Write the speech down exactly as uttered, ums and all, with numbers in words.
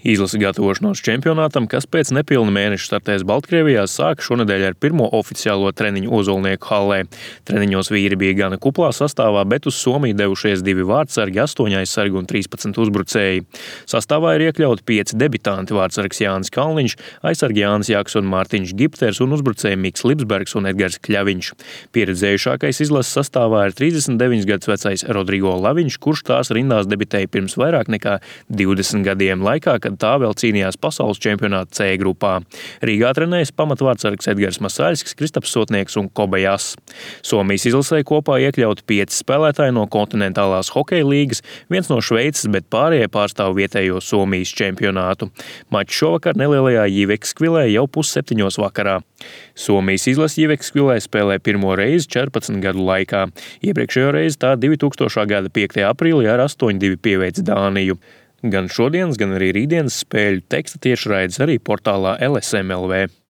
Izlase gatavošanos čempionātam, kas pēc nepilna mēneša startēs Baltkrievijā, sāka šonedēļ ar pirmo oficiālo treniņu Ozolnieku hallē. Treniņos vīri bija gana kuplā sastāvā, bet uz Somiju devušies divi vārtsargi, astoņi aizsargi un trīspadsmit uzbrucēji. Sastāvā ir iekļauti pieci debitanti: vārtsargs Jānis Kalniņš, aizsargi Jānis Jaks un Mārtiņš Gipters un uzbrucēji Miks Lipsbergs un Edgars Kļaviņš. Pieredzējušākais izlases sastāvā ir trīsdesmit deviņus gadus vecais Rodrigo Laviņš, kurš tās rindās debitēja pirms vairāk nekā divdesmit gadiem laikā, kad tā vēl cīnījās pasaules čempionāta C grupā. Rīgā trenējas pamatvārtsargs Edgars Masaļskis, Kristaps Sotnieks un Kobajas. Somijas izlasē kopā iekļauti pieci spēlētāji no kontinentālās hokeja līgas, viens no Šveices, bet pārējie pārstāv vietējo Somijas čempionātu. Mačs šovakar nelielajā Jīvekskvilē jau pusseptiņos vakarā. Somijas izlase Jīvekskvilē spēlē pirmo reizi četrpadsmit gadu laikā. Iepriekšējo reizi tā divtūkstošā gada piektajā aprīlī ar astoņi divi pieveica Dāniju. Gan šodienas, gan arī rītdienas spēļu teksta tiešraides arī portālā L S M L V.